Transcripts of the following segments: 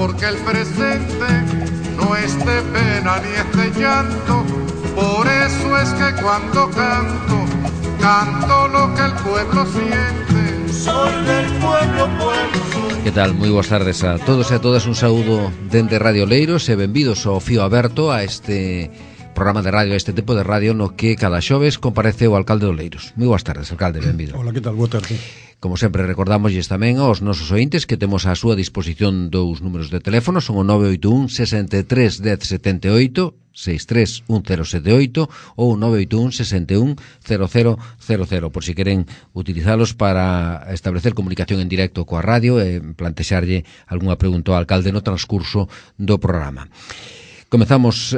porque el presente no es de pena ni es de llanto. Por eso es que cuando canto, canto lo que el pueblo siente. Soy del pueblo, pueblo. Que tal? Moi boas tardes a todos e a todas. Un saúdo dende Radio Oleiros e benvidos ao Fío Aberto, a este programa de radio, a este tipo de radio no que cada xoves comparece o alcalde de Oleiros. Moi boas tardes, alcalde, benvido. Hola, que tal? Boa tarde. Como sempre, recordamosles tamén aos nosos ointes que temos á súa disposición dous números de teléfono, son o 981 63 10 78, 63 1078 ou 981 61 0000, por si queren utilizalos para establecer comunicación en directo coa radio e plantexarlle algunha pregunta ao alcalde no transcurso do programa. Comezamos,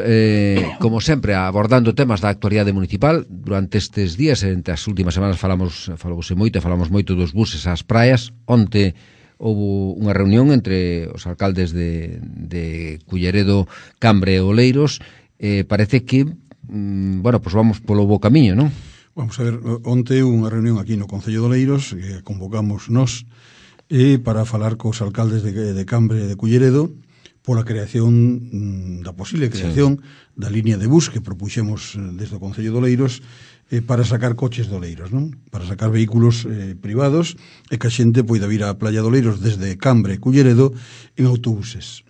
como sempre, abordando temas da actualidade municipal. Durante estes días, entre as últimas semanas, falamos moito dos buses ás praias. Onte houve unha reunión entre os alcaldes de Culleredo, Cambre e Oleiros. Parece que, pues vamos polo bo camiño, non? Vamos a ver, onte unha reunión aquí no Concello de Oleiros, que convocamos nós, para falar cos alcaldes de Cambre e de Culleredo, pola creación, da posible creación da línea de bus que propuxemos desde o Concello de Oleiros para sacar coches de Oleiros, non? Para sacar vehículos privados e que a xente poida vir á playa de Oleiros desde Cambre e Culleredo en autobuses.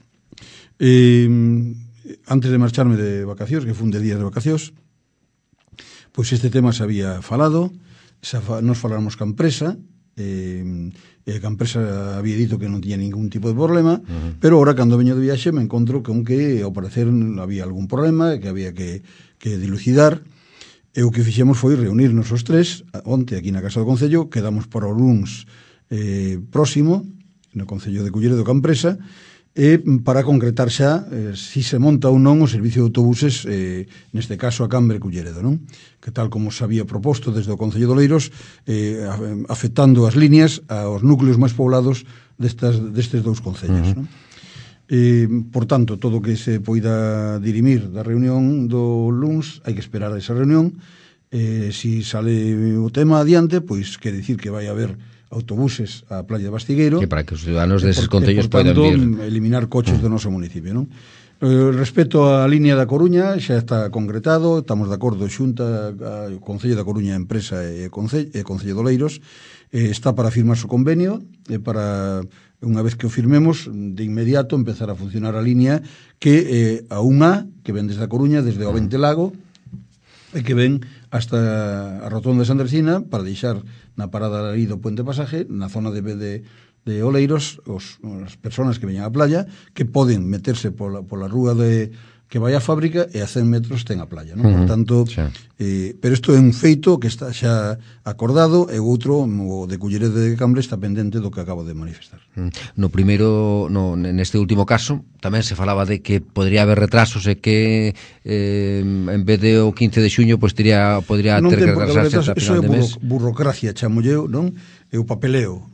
Antes de marcharme de vacacións, que fun de días de vacacións, pois este tema se había falado, nos faláramos ca empresa, que a empresa había dito que non tiña ningún tipo de problema, pero ahora cando veño de viaxe me encontro con que ao parecer había algún problema que había que dilucidar, e o que fixemos foi reunirnos os tres onte aquí na Casa do Concello. Quedamos para o luns próximo no Concello de Culleredo ca empresa, para concretar xa si se monta ou non o servicio de autobuses, neste caso a Cambre e Culleredo, non? Que tal como se había proposto desde o Concello de Oleiros, afectando as líneas aos núcleos máis poblados destes dous concellos, non? Por tanto, todo o que se poida dirimir da reunión do luns, hai que esperar a esa reunión. Si sale o tema adiante, pois quere dicir que vai haber autobuses á playa de Bastigueiro, que para que os ciudadanos deses concellos poidan vir, eliminar coches do noso municipio, non? Respecto á línea da Coruña, xa está concretado, estamos de acordo xunta o Concello da Coruña, empresa e Concello de Oleiros, está para firmar o convenio, para, unha vez que o firmemos, de inmediato empezar a funcionar a línea que a unha que ven desde a Coruña, desde o Ventelago, e que ven hasta a rotonda de Santa Ercina, para deixar na parada aí do Puente Pasaje, na zona de Oleiros, as persoas que veñan á playa, que poden meterse pola rúa que vai á fábrica e a 100 metros ten a playa, non? Por tanto, pero isto é un feito que está xa acordado, e o outro, o de Culleredo de Cambre, está pendente do que acabo de manifestar. Neste último caso, tamén se falaba de que podría haber retrasos e que en vez de o 15 de xuño podría ter que retrasarse ata final de mes. Iso é burocracia, chamolleo, non? E o papeleo,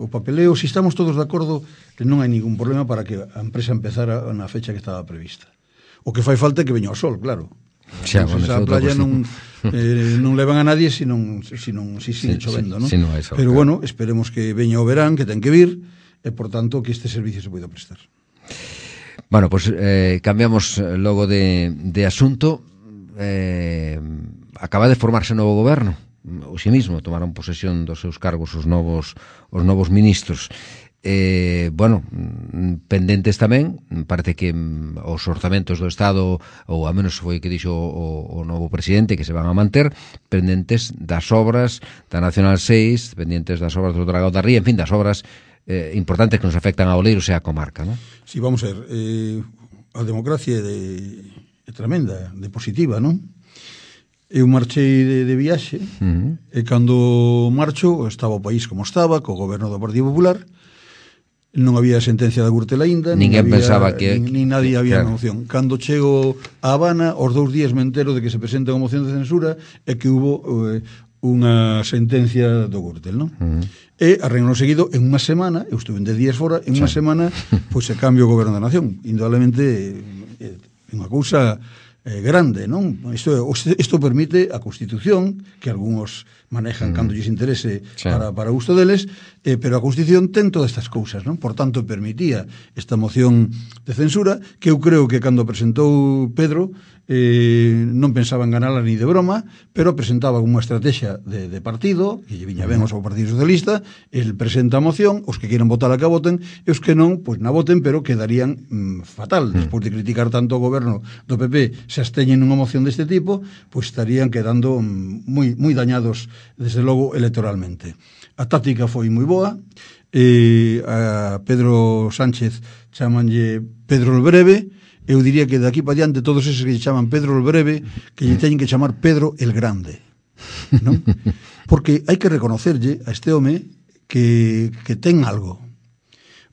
se estamos todos de acordo, que non hai ningún problema para que a empresa empezara na fecha que estaba prevista. O que fai falta é que veña o sol, claro. Xa, a playa non levan a nadie si sigue chovendo, non? Pero bueno, esperemos que veña o verán, que ten que vir, e por tanto que este servicio se poida prestar. Bueno, pues cambiamos logo de asunto. Acaba de formarse un novo goberno. Hoxe mismo tomaron posesión dos seus cargos os novos ministros. Pendentes tamén, parece que os orzamentos do Estado, ou a menos foi que dixo o novo presidente, que se van a manter, pendentes das obras da Nacional 6, pendentes das obras do Dragao da Ría, en fin, das obras importantes que nos afectan a Oleiros e a comarca, non? Si, vamos a ver, a democracia é tremenda, de positiva, non? Eu marchei de viaxe, e cando marcho estaba o país como estaba, co goberno do Partido Popular. Non había sentencia da Gürtel aínda, ninguén pensaba que nin nadie había moción. Cando chego a Habana, os 2 días me entero de que se presenta unha moción de censura e que hubo unha sentencia do Gürtel, non? E a reunión seguido, en unha semana, eu estuve 10 días fora, en unha semana pois se cambia o goberno da nación. Indudablemente é unha cousa grande, non? Isto permite a Constitución, que algúns manejan cando lles interese para gusto deles, pero a Constitución ten todas estas cousas, non? Por tanto, permitía esta moción de censura, que eu creo que cando presentou Pedro non pensaba en ganala ni de broma, pero presentaba unha estrategia de partido, que lle viña ben ao Partido Socialista, el presenta a moción, os que queiran votar a que voten, e os que non, pois na voten, pero quedarían fatal. Despois de criticar tanto o goberno do PP, se absteñen nunha moción deste tipo, pois estarían quedando moi dañados, desde logo, electoralmente. A táctica foi moi boa, a Pedro Sánchez chamanlle Pedro el Breve. Eu diría que de aquí para diante todos eses que lle chaman Pedro el Breve, que lle teñen que chamar Pedro el Grande, non? Porque hai que reconocerlle a este home que ten algo.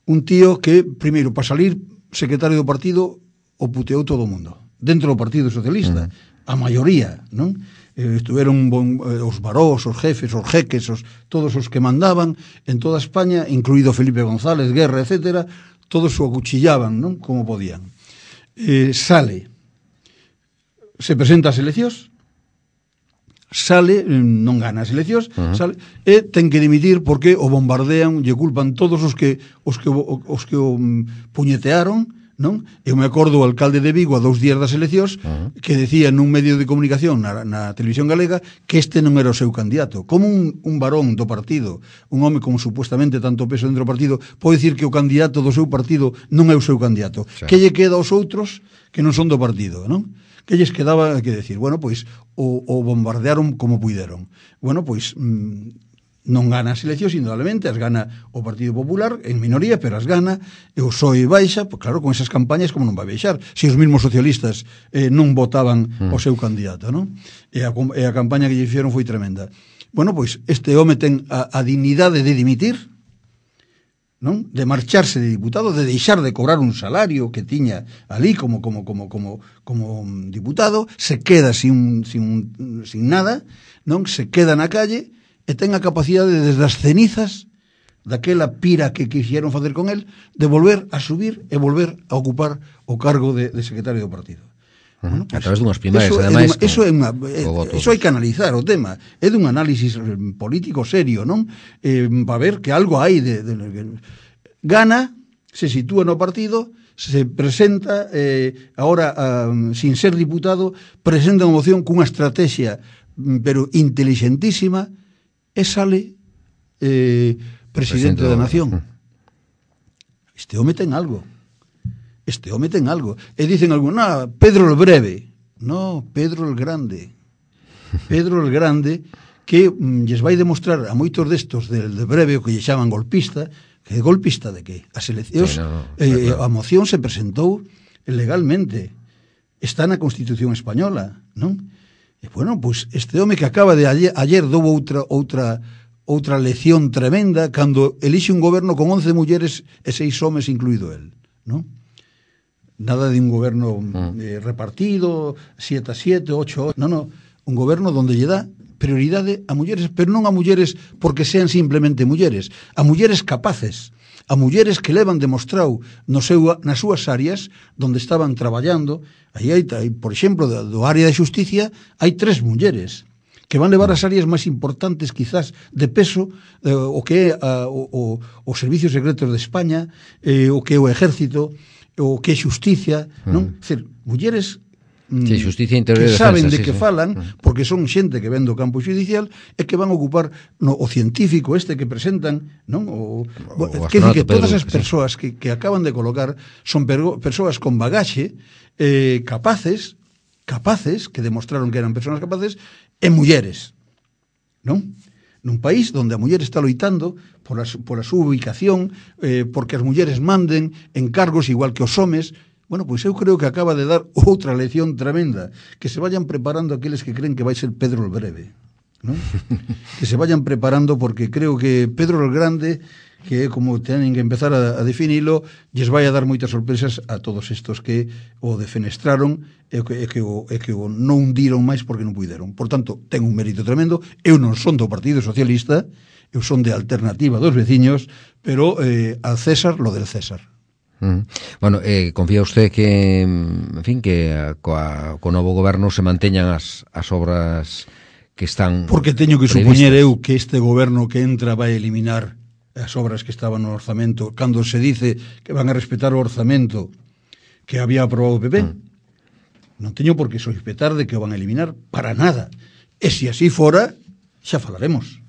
Un tío que, primeiro, para salir secretario do partido, o puteou todo o mundo, dentro do Partido Socialista, a maioría, non? Estuveron os barós, os jefes, os jeques, todos os que mandaban en toda España, incluído Felipe González, Guerra, etcétera, todos o acuchillaban, non? Como podían. Sale, se presenta ás eleccións, sale, non gana as eleccións, sale, e ten que dimitir porque o bombardean, lle culpan todos os que o puñetearon, non? Eu me acordo o alcalde de Vigo a 2 días das eleccións que decía nun medio de comunicación na televisión galega que este non era o seu candidato. Como un varón do partido, un home con supuestamente tanto peso dentro do partido, pode dicir que o candidato do seu partido non é o seu candidato. Sí. Que lle queda aos outros que non son do partido, non? Que lles quedaba que decir, bueno, pois o bombardearon como puideron. Bueno, pois non gana as eleccións, indudablemente, as gana o Partido Popular, en minoría, pero as gana, e o PSOE baixa, pues claro, con esas campañas como non vai baixar, se os mesmos socialistas non votaban o seu candidato, non? E a campaña que lle fixeron foi tremenda. Bueno, pois, este home ten a dignidade de dimitir, non? De marcharse de diputado, de deixar de cobrar un salario que tiña ali como diputado, se queda sin nada, non? Se queda na calle, e ten a capacidade desde as cenizas daquela pira que quixeron facer con el, de volver a subir e volver a ocupar o cargo de secretario do partido. Bueno, pues, a través dunhas primarias, ademais. Eso hai que analizar o tema. É dun análisis político serio, non? Para ver que algo hai gana, se sitúa no partido, se presenta, agora, sin ser diputado, presenta unha moción cunha estrategia, pero inteligentísima, e sale presidente da nación. Este home ten algo. E dicen algo, Pedro el Breve. No, Pedro el Grande. Pedro el Grande, que lles vai demostrar a moitos destos del Breve, o que lle chaman golpista, que golpista de que? As eleccións, a moción se presentou legalmente. Está na Constitución española, non? E, bueno, pois este home que acaba de ayer dou outra lección tremenda cando elixe un goberno con 11 mulleres e 6 homes incluído el, non? Nada de un goberno repartido, 7-7, 8-8, non, un goberno donde lle dá prioridade a mulleres, pero non a mulleres porque sean simplemente mulleres, a mulleres capaces, a mulleres que levan demostrado nas súas áreas donde estaban traballando. Aí hai, por exemplo, do área de xusticia, hai 3 mulleres que van levar as áreas máis importantes, quizás, de peso, o que é os servicios secretos de España, o que é o ejército, o que é xusticia, non? É dicir, mulleres sí, justicia interior que defensa, saben de que falan, porque son xente que ven do campo judicial e que van a ocupar o científico este que presentan, non? Que dicir que todas as persoas que acaban de colocar son persoas con bagaxe, capaces, que demostraron que eran persoas capaces, e mulleres, non? Nun país onde a muller está loitando por a súa ubicación, porque as mulleres manden en cargos igual que os homes. Bueno, pois eu creo que acaba de dar outra lección tremenda, que se vayan preparando aqueles que creen que vai ser Pedro el Breve, ¿no? Que se vayan preparando, porque creo que Pedro el Grande, que é como tenen que empezar a definilo, lles vai a dar moitas sorpresas a todos estos que o defenestraron e que o non hundiron máis porque non puideron. Por tanto, ten un mérito tremendo. Eu non son do Partido Socialista, eu son de Alternativa dos Veciños, pero al César lo del César. Bueno, confía usted que, en fin, que co novo goberno se manteñan as obras que están porque teño que previstas. supoñer eu que este goberno que entra vai eliminar as obras que estaban no orzamento, cando se dice que van a respetar o orzamento que había aprobado o PP. Non teño por que sospetar de que o van a eliminar para nada. E se así fora, xa falaremos.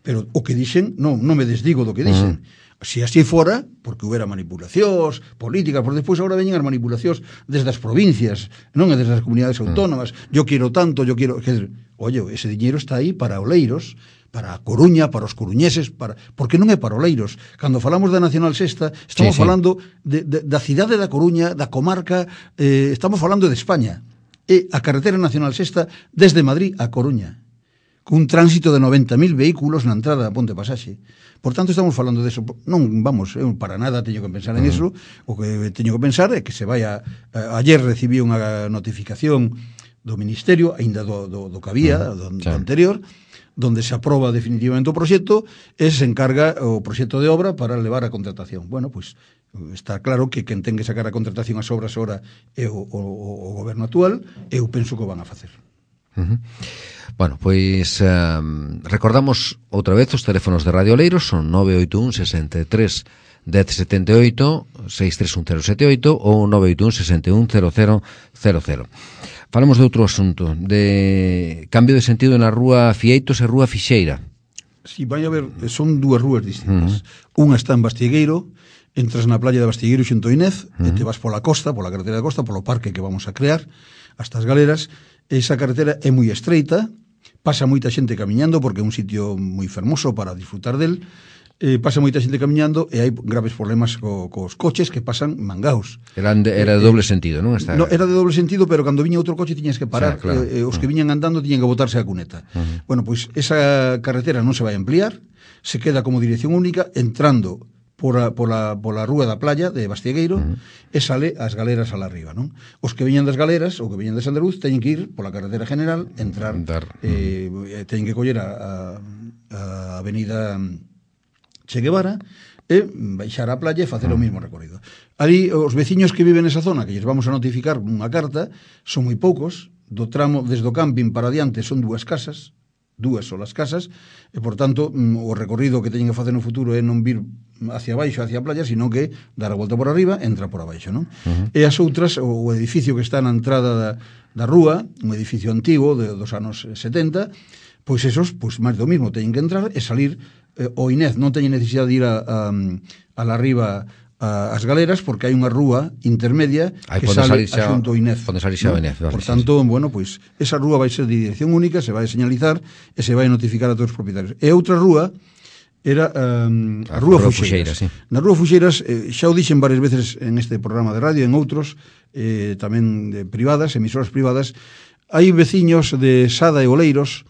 Pero o que dixen, non me desdigo do que dixen. Se así fora, porque houbera manipulacións políticas, por despois agora veñen as manipulacións desde as provincias, non é desde as comunidades autónomas. Yo quero tanto, yo quero... Oye, ese diñeiro está aí para Oleiros, para a Coruña, para os coruñeses, porque non é para Oleiros. Cando falamos da Nacional Sexta, estamos falando da cidade da Coruña, da comarca, estamos falando de España. E a carretera Nacional Sexta desde Madrid a Coruña, cun tránsito de 90.000 vehículos na entrada da Ponte Pasaxe. Por tanto, estamos falando de eso. Non, vamos, eu para nada teño que pensar en eso. O que teño que pensar é que se vai ayer recibí unha notificación do Ministerio, aínda do que había, do anterior, donde se aproba definitivamente o proxecto e se encarga o proxecto de obra para levar a contratación. Bueno, pois está claro que quen ten que sacar a contratación as obras ahora é o goberno actual, eu penso que o van a facer. Bueno, pois recordamos outra vez os teléfonos de Radio Oleiros, son 981 63 1078, 631 078 ou 981 61 0000. Falamos de outro asunto, de cambio de sentido na rúa Fieitos e rúa Fixeira. Si, vai a ver, son dúas rúas distintas. Unha está en Bastigueiro, entras na playa de Bastigueiro xunto a Inés, e te vas pola costa, pola carretera da costa, polo parque que vamos a crear, hasta as galeras. Esa carretera é moi estreita, pasa moita xente camiñando, porque é un sitio moi fermoso para disfrutar del, pasa moita xente camiñando e hai graves problemas cos coches que pasan mangaos. Era de doble sentido, non? No, era de doble sentido, pero cando viña outro coche tiñas que parar, claro. Os que viñan andando tiñan que botarse a cuneta. Bueno, pois esa carretera non se vai a ampliar, se queda como dirección única, entrando pola rúa da playa de Bastigueiro e sale as galeras ala arriba, non? Os que veñan das galeras ou que veñan de Sandruz teñen que ir pola carretera general, entrar, teñen que coller a avenida Che Guevara e baixar á playa e facer o mesmo recorrido. Ali os veciños que viven nesa zona, que lles vamos a notificar unha carta, son moi poucos, do tramo desde o camping para adiante son dúas solas casas, e por tanto o recorrido que teñen que facer no futuro é non vir hacia baixo, hacia a playa, sino que dar a volta por arriba, entra por abaixo, non? E as outras, o edificio que está na entrada da rúa, un edificio antigo dos anos 70, pois esos, pois máis do mismo, teñen que entrar e salir. O Inés non teñen necesidade de ir a la arriba as galeras, porque hai unha rúa intermedia que sale a xunto o Inés. Por tanto, bueno, pois esa rúa vai ser de dirección única, se vai señalizar e se vai notificar a todos os propietarios. E outra rúa era a Rúa Fuxeiras. Na Rúa Fuxeiras, xa o dixen varias veces en este programa de radio, en outros, tamén de privadas, emisoras privadas, hai veciños de Sada e Oleiros,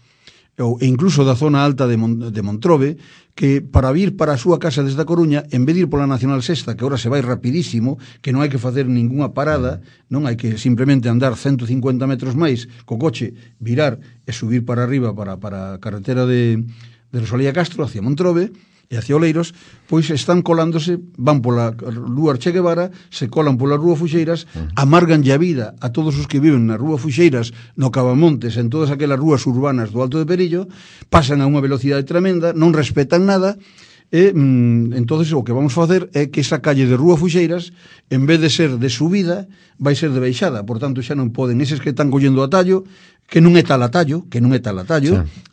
e incluso da zona alta de Montrobe, que para vir para a súa casa desde a Coruña, en vez de ir pola Nacional Sexta, que ahora se vai rapidísimo, que non hai que facer ningunha parada, non hai que simplemente andar 150 metros máis co coche, virar e subir para arriba para a carretera de Rosalía Castro, hacia Montrobe e hacia Oleiros, pois están colándose, van pola rúa Che Guevara, se colan pola rúa Fuxeiras, amargan a vida a todos os que viven na rúa Fuxeiras, no Cavamontes, en todas aquelas rúas urbanas do Alto de Perillo, pasan a unha velocidade tremenda, non respetan nada, e entonces o que vamos facer é que esa calle de Rúa Fuxeiras, en vez de ser de subida, vai ser de baixada. Por tanto, xa non poden eses que están collendo atallo, que non é tal atallo,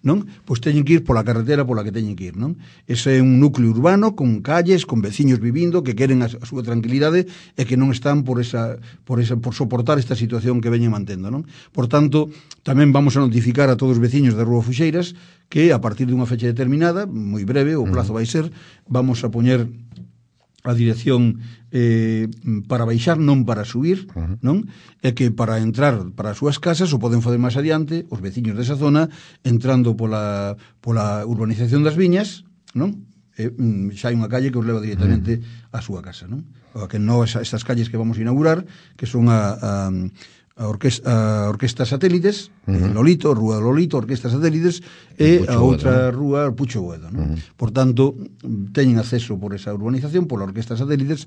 non? Pois teñen que ir pola carretera pola que teñen que ir, non? Ese é un núcleo urbano con calles, con veciños vivindo que queren a súa tranquilidade e que non están por soportar esta situación que veñen mantendo, non? Por tanto, tamén vamos a notificar a todos os veciños de Rúa Fuxeiras que a partir dunha fecha determinada, moi breve, o plazo vai ser, vamos a poñer a dirección para baixar, non para subir, non? E que para entrar para as súas casas o poden fazer máis adiante os veciños desa zona entrando pola urbanización das Viñas, non? Xa hai unha calle que os leva directamente á súa casa, non? Que non estas calles que vamos a inaugurar, que son a a Orquesta Satélites, Lolito, Rúa Lolito, Orquesta Satélites, e a outra rúa, Pucho Boedo, non? Por tanto, teñen acceso por esa urbanización, pola Orquesta Satélites,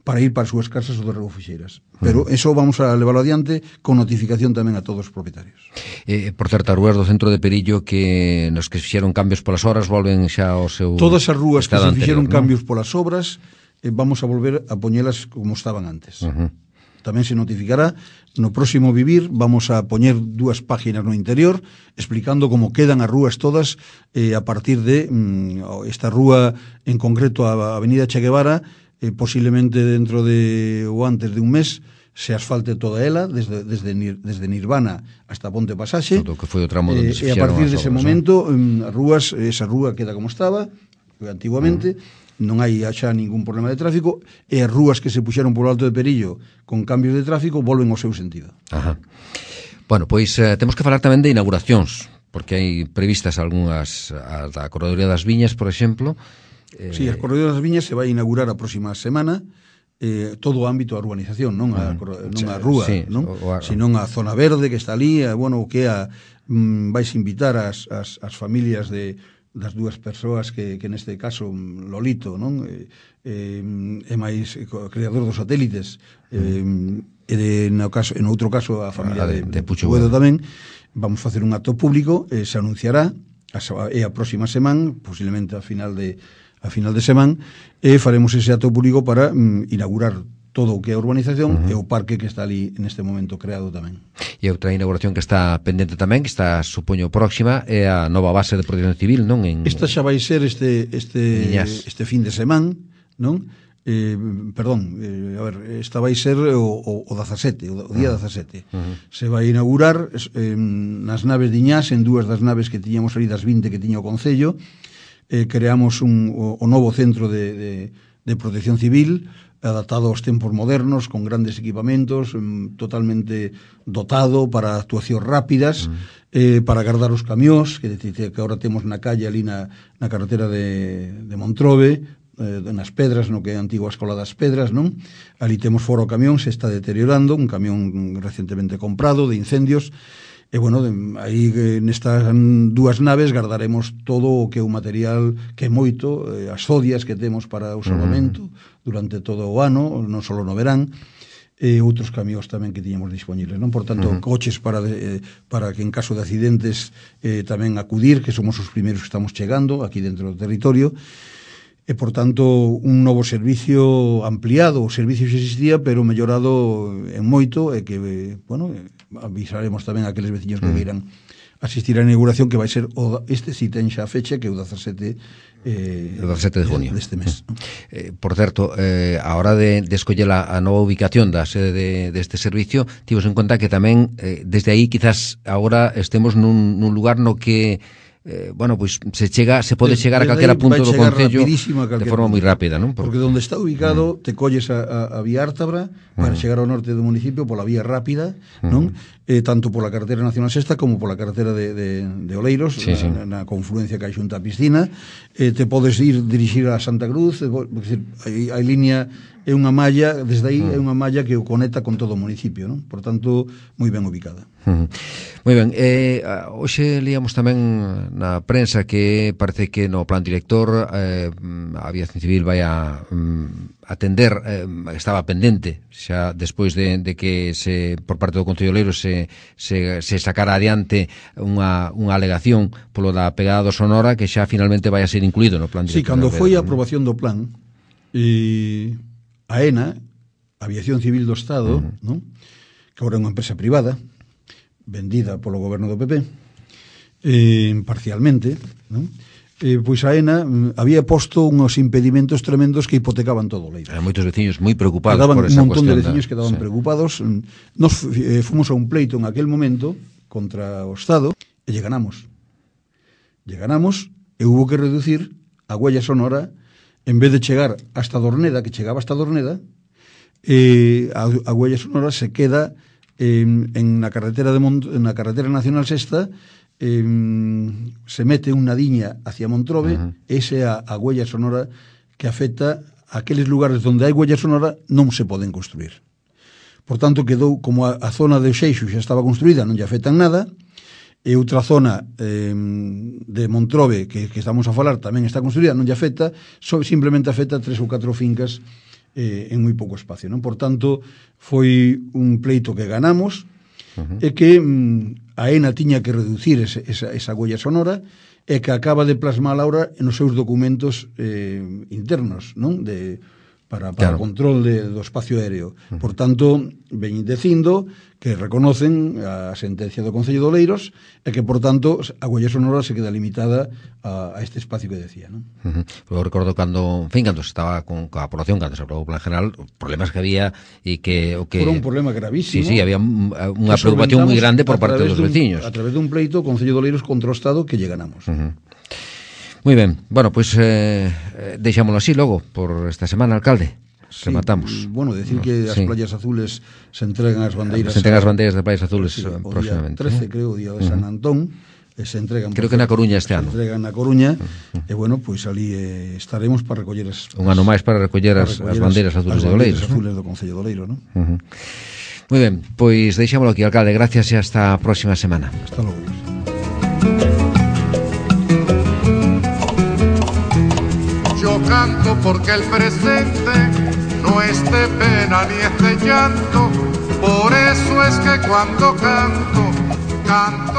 para ir para as súas casas ou de Rego Fixeiras. Pero eso vamos a levarlo adiante con notificación tamén a todos os propietarios. Por certo, as rúas do centro de Perillo que nos que fixeron cambios polas horas volven xa ao seu... Todas as rúas que se fixeron anterior, cambios polas obras, vamos a volver a poñelas como estaban antes. Tamén se notificará. No próximo Vivir vamos a poñer 2 páginas no interior explicando como quedan as rúas todas a partir de esta rúa en concreto a Avenida Che Guevara, posiblemente dentro de ou antes de un mes se asfalte toda ela desde Nirvana hasta Ponte Pasaxe. Todo que foi o tramo onde se fixeron. E a partir dese momento as rúas, esa rúa queda como estaba antiguamente. Non hai xa ningún problema de tráfico e as rúas que se puxeron polo Alto de Perillo con cambios de tráfico volven ao seu sentido. Ajá. Bueno, pois temos que falar tamén de inauguracións, porque hai previstas algunhas, a da Corredoría das Viñas, por exemplo. Sí, a Corredoría das Viñas se vai inaugurar a próxima semana, todo o ámbito da urbanización, non a rúa, sí, non? Senón a zona verde que está ali, bueno, que vais invitar as familias das 2 persoas que neste caso Lolito, non? E máis creador dos satélites, e en outro caso a familia de Pucho Boedo tamén. Vamos facer un acto público, se anunciará e a próxima semana, posiblemente a final de semana, e faremos ese acto público para inaugurar todo o que é a urbanización e o parque que está ali neste momento creado tamén. E outra inauguración que está pendente tamén, que está, supoño, próxima, é a nova base de protección civil, non? Esta xa vai ser este fin de semana, non? Esta vai ser o 17, o día 17. Se vai inaugurar nas naves de Iñás, en 2 das naves que tiñamos ali das 20 que tiña o Concello. Creamos o novo centro de protección civil, adaptado aos tempos modernos, con grandes equipamentos, totalmente dotado para actuacións rápidas, para guardar os camións, que agora temos na calle ali na carretera de Montrobe, nas Pedras, no que é a antigua Escola das Pedras, non? Ali temos fora o camión, se está deteriorando, un camión recentemente comprado de incendios. E, bueno, aí nestas 2 naves guardaremos todo o que é o material que é moito, as zodias que temos para o salvamento durante todo o ano, non só no verán, e outros camións tamén que tiñamos disponibles, non? Por tanto, coches para que en caso de accidentes tamén acudir, que somos os primeiros que estamos chegando aquí dentro do territorio. E, por tanto, un novo servicio ampliado, o servicio xa existía, pero mellorado en moito, e que, bueno, avisaremos tamén a aqueles veciños que queiran asistir á inauguración, que vai ser si ten xa a fecha, que é o 17 de junio deste mes. Por certo, a hora de escoller a nova ubicación da sede deste servicio, tivos en conta que tamén desde aí quizás agora estemos nun lugar no que bueno, pois se pode chegar a calquera punto do concello de forma moi rápida, non? Porque onde está ubicado te colles a vía Ártabra para chegar ao norte do municipio pola vía rápida, non? Tanto pola carretera Nacional Sexta como pola carretera de Oleiros, na confluencia que hai xunta a piscina. Te podes dirixir a Santa Cruz, hai línea, é unha malla, desde aí é unha malla que o conecta con todo o municipio, non? Por tanto, moi ben ubicada. Moi ben, hoxe líamos tamén na prensa que parece que no plan director a Aviación Civil vai a atender, estaba pendente xa despois de que por parte do Concello Oleiro se sacara adiante unha alegación polo da pegada do Sonora, que xa finalmente vai a ser incluído no plan director. Sí, cando foi a aprobación do plan, a ENA, Aviación Civil do Estado, non? Que agora é unha empresa privada, vendida polo goberno do PP, parcialmente, non? Pois a ENA había posto unhos impedimentos tremendos que hipotecaban todo o Leiro. Hai moitos veciños moi preocupados por esa cuestión. Un montón de veciños quedaban preocupados. Nos fomos a un pleito en aquel momento contra o Estado e lle ganamos. E hubo que reducir a huella sonora, en vez de chegar hasta Dorneda, que chegaba hasta Dorneda, a huella sonora se queda na carretera Nacional Sexta, se mete unha diña hacia Montrobe, esa é a huella sonora que afecta a aqueles lugares onde hai huella sonora non se poden construir. por tanto quedou como a zona de Xeixo xa estaba construída, non lle afectan nada, e outra zona de Montrobe que estamos a falar tamén está construída, non lle afecta, simplemente afecta 3 ou 4 fincas en moi pouco espacio, non? Por tanto, foi un pleito que ganamos, e que a ENA tiña que reducir esa golla sonora, e que acaba de plasmar ahora nos seus documentos internos, non? Para claro, o control do espacio aéreo. Por tanto, veñen dicindo que reconocen a sentencia do Concello de Oleiros e que, por tanto, a golla sonora se queda limitada a este espacio que decía, non? Eu recordo cando se estaba con a población, cando se aprobou o plan general, os problemas que había e que... Foi un problema gravísimo. Sí, había unha preocupación moi grande por parte dos veciños. A través dun pleito, o Concello de Oleiros contra o Estado que lle ganamos. Moi ben, bueno, pois deixámoslo así logo por esta semana, alcalde. Sí, rematamos. Bueno, decir que as playas azules se entregan as bandeiras. Se entregan as bandeiras de playas azules próximamente. O día 13, creo, o día de San Antón, se entregan. Creo que na Coruña este ano. Se entregan na Coruña, e bueno, pois ali estaremos para recoller un ano máis para recoller as bandeiras azules de Oleiros. As azules do Concello de Oleiros, non? Moi ben, pois deixámoslo aquí, alcalde. Gracias e hasta a próxima semana. Hasta logo. Yo canto porque el presente no es de pena ni es de llanto, por eso es que cuando canto, canto